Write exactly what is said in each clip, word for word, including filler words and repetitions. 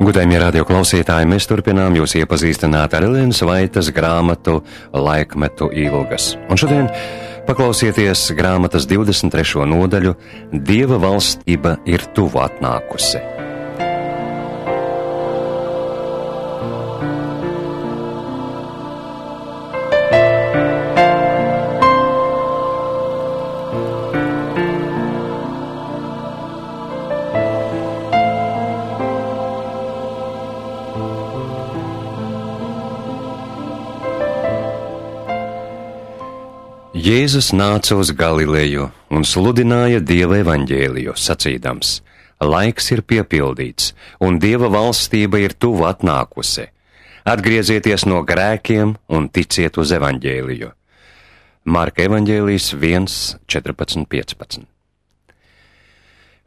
Godājumie radio klausītāji, mēs turpinām jūs iepazīstināt ar Elenas Vaitas grāmatu Laikmetu ilgas. Un šodien paklausieties grāmatas divdesmit trešo nodaļu Dieva valstība ir tuvu atnākusi. Jēzus nāca uz Galileju un sludināja Dieva evaņģēliju, sacīdams: laiks ir piepildīts, un Dieva valstība ir tuvu atnākusi. Atgriezieties no grēkiem un ticiet uz evaņģēliju. Marka evaņģēlijs viens, četrpadsmit, piecpadsmit.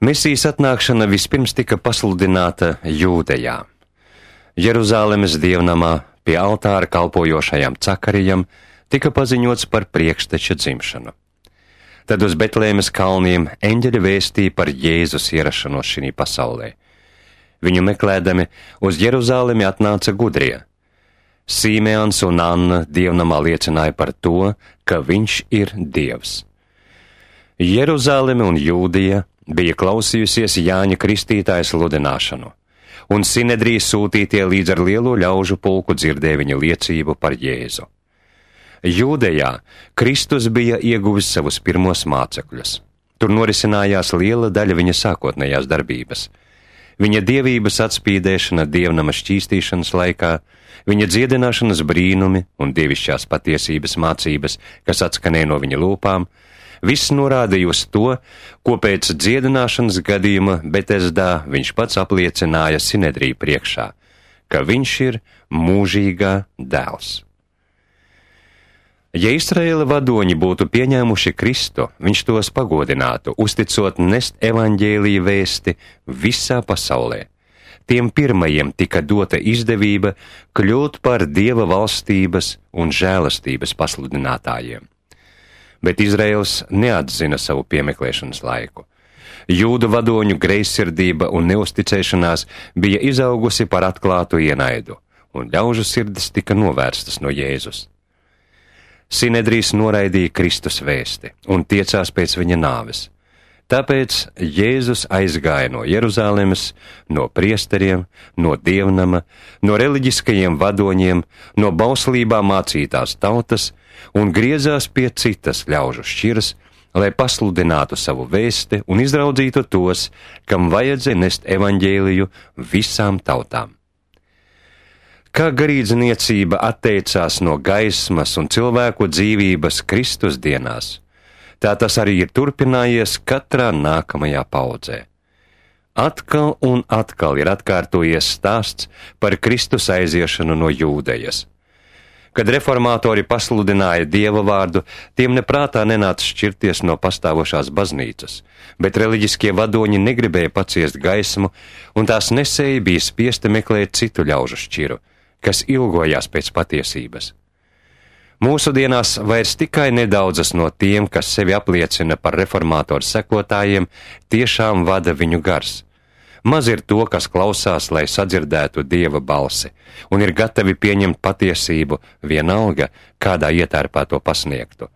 Mesijas atnākšana vispirms tika pasludināta Jūdejā. Jeruzālemes dievnamā pie altāra kalpojošajam Cakarijam tika paziņots par priekšteča dzimšanu. Tad uz Betlēmes kalniem eņģeļi vēstīja par Jēzus ierašanos šī pasaulē. Viņu meklēdami uz Jeruzālemi atnāca gudrie. Sīmeons un Anna dievnamā liecināja par to, ka viņš ir Dievs. Jeruzāleme un Jūdija bija klausījusies Jāņa Kristītāja sludināšanu, un Sinedrija sūtītie līdz ar lielo ļaužu pulku dzirdēja viņa liecību par Jēzu. Jūdejā Kristus bija ieguvis savus pirmos mācekļus. Tur norisinājās liela daļa viņa sākotnējās darbības. Viņa dievības atspīdēšana dievnama šķīstīšanas laikā, viņa dziedināšanas brīnumi un dievišķās patiesības mācības, kas atskanēja no viņa lūpām, viss norādīja uz to, ko pēc dziedināšanas gadījuma Betesdā viņš pats apliecināja Sinedriju priekšā, ka viņš ir mūžīgā dēls. Ja Izraēla vadoņi būtu pieņēmuši Kristu, viņš tos pagodinātu, uzticot nest evaņģēlija vēsti visā pasaulē. Tiem pirmajiem tika dota izdevība kļūt par Dieva valstības un žēlastības pasludinātājiem. Bet Izraēls neatzina savu piemeklēšanas laiku. Jūdu vadoņu greizsirdība un neusticēšanās bija izaugusi par atklātu ienaidu, un ļaužu sirdis tika novērstas no Jēzus. Sinedrijs noraidīja Kristus vēsti un tiecās pēc viņa nāves. Tāpēc Jēzus aizgāja no Jeruzālemes, no priesteriem, no dievnama, no reliģiskajiem vadoņiem, no bauslībā mācītās tautas un griezās pie citas ļaužu šķiras, lai pasludinātu savu vēsti un izraudzītu tos, kam vajadzēja nest evaņģēliju visām tautām. Kā garīdzniecība atteicās no gaismas un cilvēku dzīvības Kristus dienās, tā tas arī ir turpinājies katrā nākamajā paudzē. Atkal un atkal ir atkārtojies stāsts par Kristus aiziešanu no Jūdejas. Kad reformātori pasludināja Dieva vārdu, tiem neprātā nenāca šķirties no pastāvošās baznīcas, bet reliģiskie vadoņi negribēja paciest gaismu, un tās nesēji bija spiesti meklēt citu ļaužu šķiru, kas ilgojās pēc patiesības. Mūsdienās vairs tikai nedaudzas no tiem, kas sevi apliecina par reformātoru sekotājiem, tiešām vada viņu gars. Maz ir to, kas klausās, lai sadzirdētu Dieva balsi, un ir gatavi pieņemt patiesību vienalga, kādā ietērpā to pasniegtu.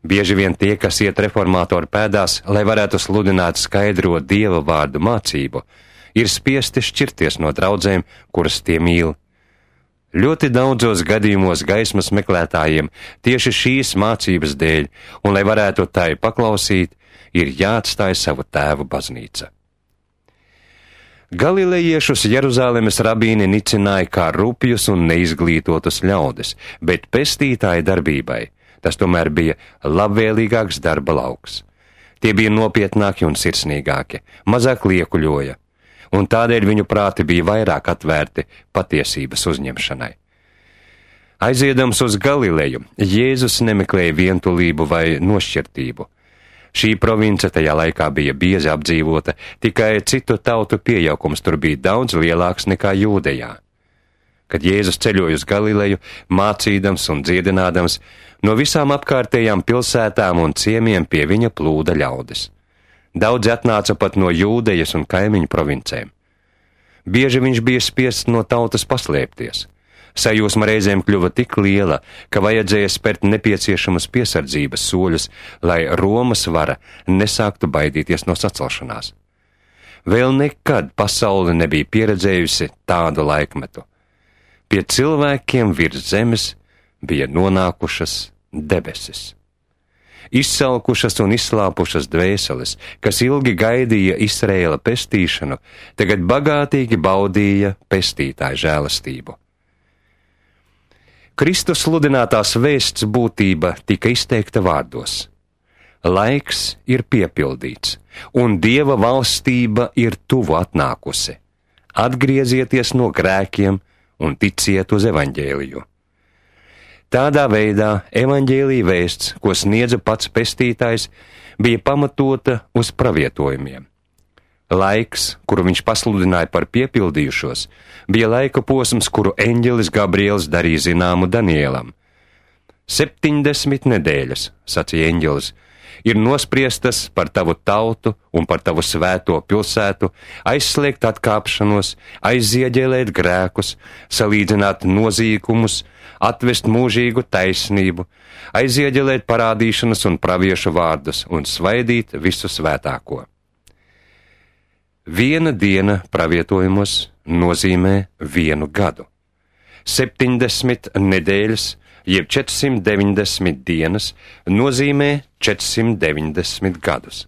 Bieži vien tie, kas iet reformātoru pēdās, lai varētu sludināt skaidro Dieva vārdu mācību, ir spiesti šķirties no draudzēm, kuras tie mīl. Ļoti daudzos gadījumos gaismas meklētājiem tieši šīs mācības dēļ, un lai varētu tai paklausīt, ir jāatstāj savu tēvu baznīca. Galilejiešus Jeruzālemes rabīni nicināja kā rupjus un neizglītotus ļaudis, bet pestītāja darbībai tas tomēr bija labvēlīgāks darba lauks. Tie bija nopietnāki un sirsnīgāki, mazāk liekuļoja, un tādēļ viņu prāti bija vairāk atvērti patiesības uzņemšanai. Aiziedams uz Galileju, Jēzus nemeklēja vientulību vai nošķirtību. Šī province tajā laikā bija biezi apdzīvota, tikai citu tautu piejaukums tur bija daudz lielāks nekā Jūdejā. Kad Jēzus ceļoja uz Galileju, mācīdams un dziedinādams, no visām apkārtējām pilsētām un ciemiem pie viņa plūda ļaudis. Daudzi atnāca pat no Jūdejas un kaimiņu provincēm. Bieži viņš bija spiests no tautas paslēpties. Sajūsma reizēm kļuva tik liela, ka vajadzēja spērt nepieciešamus piesardzības soļus, lai Romas vara nesāktu baidīties no sacelšanās. Vēl nekad pasaule nebija pieredzējusi tādu laikmetu. Pie cilvēkiem virs zemes bija nonākušas debesis. Izsalkušas un izslāpušas dvēseles, kas ilgi gaidīja Izraēla pestīšanu, tagad bagātīgi baudīja pestītāja žēlastību. Kristus sludinātās vēsts būtība tika izteikta vārdos. Laiks ir piepildīts, un Dieva valstība ir tuvu atnākusi. Atgriezieties no grēkiem un ticiet uz evaņģēliju. Tādā veidā evaņģēlija vēsts, ko sniedza pats pestītājs, bija pamatota uz pravietojumiem. Laiks, kuru viņš pasludināja par piepildījušos, bija laika posms, kuru eņģelis Gabriels darīja zināmu Danielam. Septiņdesmit nedēļas, sacīja eņģelis, ir nospriestas par tavu tautu un par tavu svēto pilsētu, aizslēgt atkāpšanos, aizieģēlēt grēkus, salīdzināt nozīkumus, atvest mūžīgu taisnību, aizieģelēt parādīšanas un praviešu vārdus un svaidīt visu svētāko. Viena diena pravietojumos nozīmē vienu gadu. Septiņdesmit nedēļas, jeb četrsimt deviņdesmit dienas, nozīmē četrsimt deviņdesmit gadus.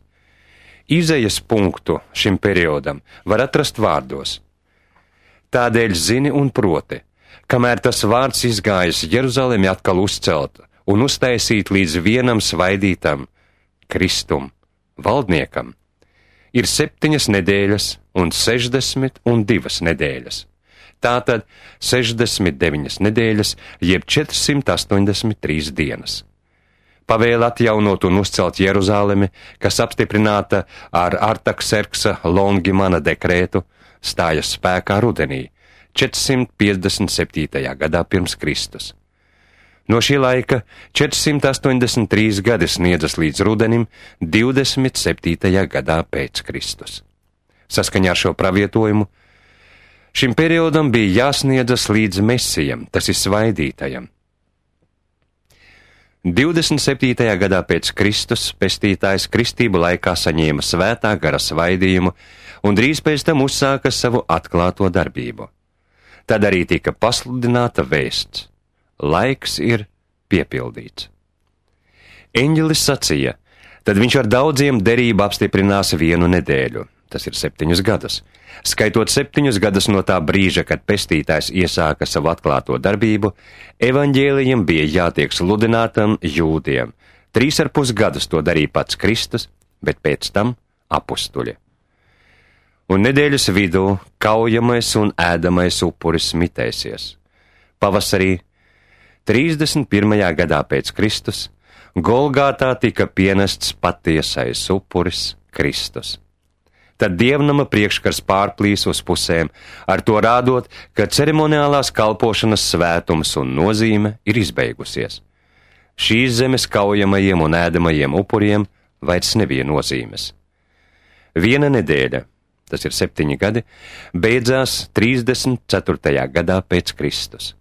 Izejas punktu šim periodam var atrast vārdos. Tādēļ zini un proti, kamēr tas vārds izgājis Jeruzalemi atkal uzcelt un uztaisīt līdz vienam svaidītam Kristum, valdniekam, ir septiņas nedēļas un sešdesmit un divas nedēļas. Tātad sešdesmit deviņas nedēļas, jeb četrsimt astoņdesmit trīs dienas. Pavēle atjaunot un uzcelt Jeruzalemi, kas apstiprināta ar Artakserksa Longimana dekrētu, stājas spēkā rudenī, četrsimt piecdesmit septītajā gadā pirms Kristus. No šī laika četrsimt astoņdesmit trīs gadi sniedzas līdz rudenim divdesmit septītajā gadā pēc Kristus. Saskaņā ar šo pravietojumu, šim periodam bija jāsniedzas līdz Mesijam, tas ir svaidītajam. divdesmit septītajā gadā pēc Kristus pestītājs kristību laikā saņēma svētā gara svaidījumu un drīz pēc tam uzsāka savu atklāto darbību. Tad arī tika pasludināta vēsts. Laiks ir piepildīts. Eņģelis sacīja, tad viņš ar daudziem derību apstiprinās vienu nedēļu, tas ir septiņus gadus, skaitot septiņus gadus no tā brīža, kad pestītājs iesāka savu atklāto darbību, evaņģēlijam bija jātiek sludinātam jūdiem. Trīs ar pus gadus to darīja pats Kristus, bet pēc tam apustuļi. Un nedēļas vidū kaujamais un ēdamais upuris mitēsies. Pavasarī trīsdesmit pirmajā gadā pēc Kristus Golgātā tika pienests patiesais upuris Kristus. Tad dievnama priekškars pārplīs uz pusēm, ar to rādot, ka ceremoniālās kalpošanas svētums un nozīme ir izbeigusies. Šīs zemes kaujamajiem un ēdamajiem upuriem vairs nebija nozīmes. Viena nedēļa, tas ir septiņi gadi, beidzās trīsdesmit ceturtajā gadā pēc Kristus.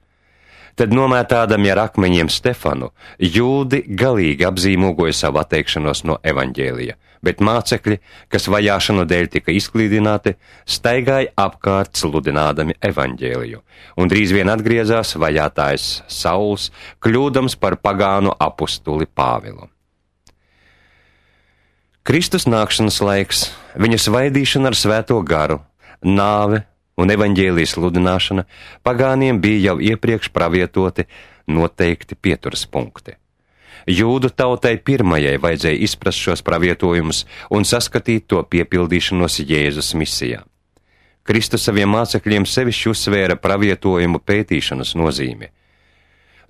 Tad nomētādami ar akmeņiem Stefanu, jūdi galīgi apzīmogoja savu atteikšanos no evaņģēlija, bet mācekļi, kas vajāšanu dēļ tika izklīdināti, staigāja apkārt sludinādami evaņģēliju, un drīz vien atgriezās vajātājs Sauls, kļūdams par pagānu apustuli Pāvilu. Kristus nākšanas laiks, viņa svaidīšana ar svēto garu, nāve un evaņģēlijas sludināšana pagāniem bija jau iepriekš pravietoti noteikti pieturas punkti. Jūdu tautai pirmajai vajadzēja izprast šos pravietojumus un saskatīt to piepildīšanos Jēzus misijā. Kristus saviem mācekļiem sevišķi uzsvēra pravietojumu pētīšanas nozīmi.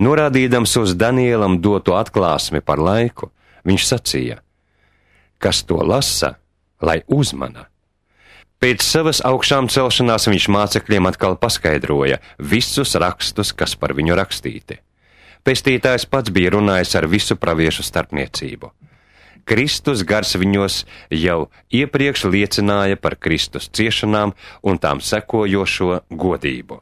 Norādīdams uz Danielam doto atklāsmi par laiku, viņš sacīja, kas to lasa, lai uzmana. Pēc savas augšām celšanās viņš mācekļiem atkal paskaidroja visus rakstus, kas par viņu rakstīti. Pestītājs pats bija runājis ar visu praviešu starpniecību. Kristus gars viņos jau iepriekš liecināja par Kristus ciešanām un tām sekojošo godību.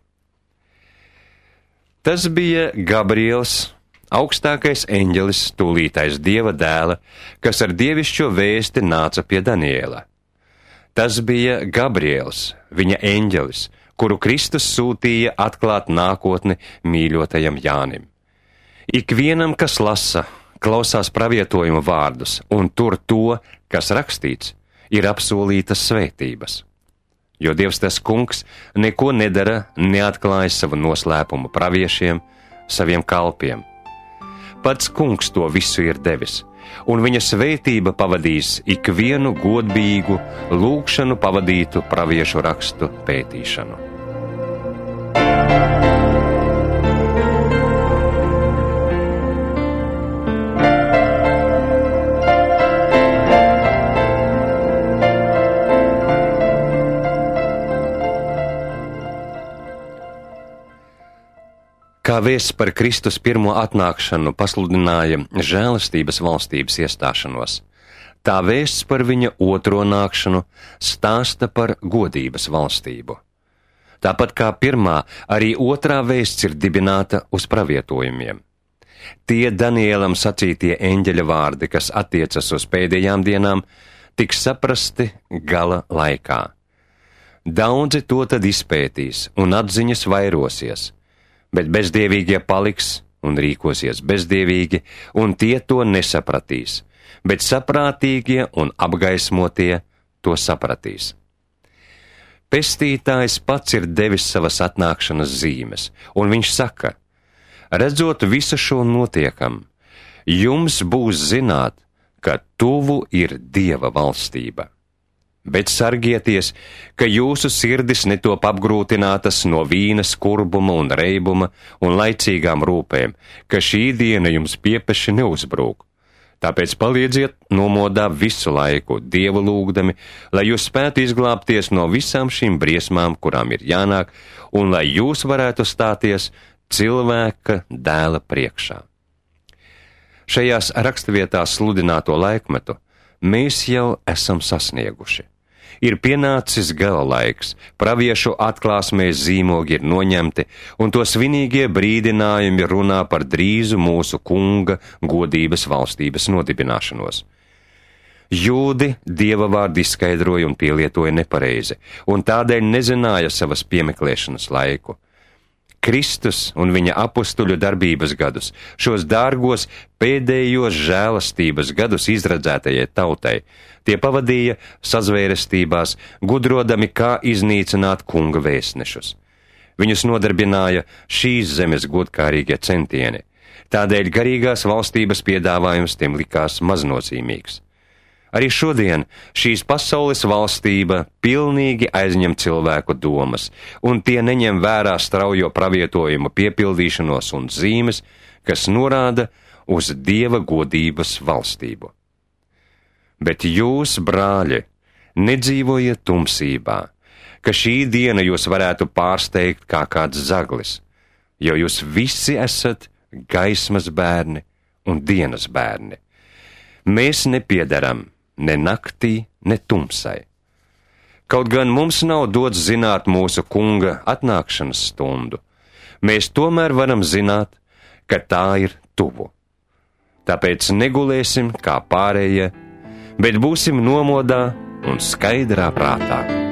Tas bija Gabriels, augstākais eņģelis, tūlītais Dieva dēla, kas ar dievišķo vēsti nāca pie Daniela. Tas bija Gabriels, viņa eņģelis, kuru Kristus sūtīja atklāt nākotni mīļotajam Jānim. Ikvienam, kas lasa, klausās pravietojuma vārdus un tur to, kas rakstīts, ir apsolītas svētības. Jo Dievs tas kungs neko nedara, neatklāja savu noslēpumu praviešiem, saviem kalpiem. Pats kungs to visu ir devis, un viņa svētība pavadīs ikvienu godīgu lūgšanu pavadītu praviešu rakstu pētīšanu. Kā vēsts par Kristus pirmo atnākšanu pasludināja žēlastības valstības iestāšanos, tā vēsts par viņa otro nākšanu stāsta par godības valstību. Tāpat kā pirmā, arī otrā vēsts ir dibināta uz pravietojumiem. Tie Danielam sacītie eņģeļa vārdi, kas attiecas uz pēdējām dienām, tiks saprasti gala laikā. Daudzi to tad izpētīs un atziņas vairosies, bet bezdievīgie paliks un rīkosies bezdievīgi, un tie to nesapratīs, bet saprātīgie un apgaismotie to sapratīs. Pestītājs pats ir devis savas atnākšanas zīmes, un viņš saka, redzot visu šo notiekam, jums būs zināt, ka tuvu ir Dieva valstība. Bet sargieties, ka jūsu sirdis netop apgrūtinātas no vīna skurbuma un reibuma un laicīgām rūpēm, ka šī diena jums piepeši neuzbrūk. Tāpēc palīdziet nomodā visu laiku, Dievu lūgdami, lai jūs spētu izglābties no visām šīm briesmām, kurām ir jānāk, un lai jūs varētu stāties cilvēka dēla priekšā. Šajās raksturvietās sludināto laikmetu mēs jau esam sasnieguši. Ir pienācis gala laiks, praviešu atklāsmēs zīmogi ir noņemti, un to svinīgie brīdinājumi runā par drīzu mūsu kunga godības valstības nodibināšanos. Jūdi Dieva vārdu izskaidroja un pielietoja nepareizi, un tādēļ nezināja savas piemeklēšanas laiku. Kristus un viņa apustuļu darbības gadus, šos dārgos pēdējos žēlastības gadus izradzētajai tautai, tie pavadīja sazvērestībās, gudrodami, kā iznīcināt kunga vēstnešus. Viņus nodarbināja šīs zemes godkārīgie centieni, tādēļ garīgās valstības piedāvājums tiem likās maznozīmīgs. Arī šodien šīs pasaules valstība pilnīgi aizņem cilvēku domas, un tie neņem vērā straujo pravietojumu piepildīšanos un zīmes, kas norāda uz Dieva godības valstību. Bet jūs, brāļi, nedzīvojiet tumsībā, ka šī diena jūs varētu pārsteigt kā kāds zaglis, jo jūs visi esat gaismas bērni un dienas bērni. Mēs nepiedaram ne naktī, ne tumsai. Kaut gan mums nav dots zināt mūsu kunga atnākšanas stundu, mēs tomēr varam zināt, ka tā ir tuvu. Tāpēc negulēsim kā pārējie, bet būsim nomodā un skaidrā prātā.